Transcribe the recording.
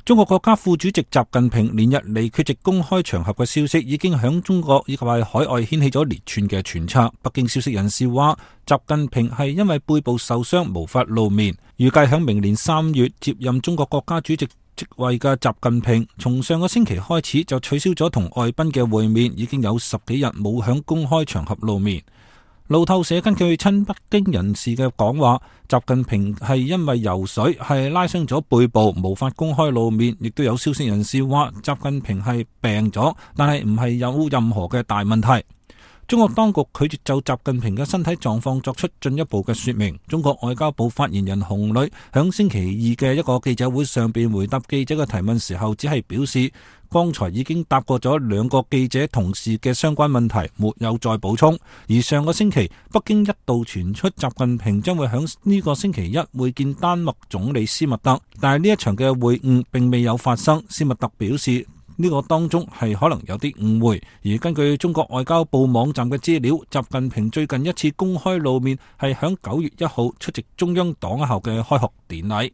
中國國家副主席習近平連日嚟缺席公開場合嘅消息，已經響中國以及係海外掀起咗連串嘅揣測。北京消息人士話，習近平係因為背部受傷無法露面，預計響明年3月接任中國國家主席職位嘅習近平，從上個星期開始就取消咗同外賓嘅會面，已經有10幾日冇響公開場合露面。路透社根據親北京人士嘅講話，習近平係因為游水係拉傷咗背部，無法公開露面。亦都有消息人士話，習近平係病咗，但係唔係有任何嘅大問題。中國當局拒絕就習近平嘅身體狀況作出進一步嘅說明。中國外交部發言人洪磊響星期二嘅一個記者會上邊回答記者嘅提問時候，只係表示剛才已經答過咗2個記者同事嘅相關問題，沒有再補充。而上個星期，北京一度傳出習近平將會響呢個星期一會見丹麥總理施密特，但係呢一場嘅會晤並未有發生。施密特表示，呢個當中係可能有啲誤會，而根據中國外交部網站嘅資料，習近平最近一次公開露面係響9月1號出席中央黨校嘅開學典禮。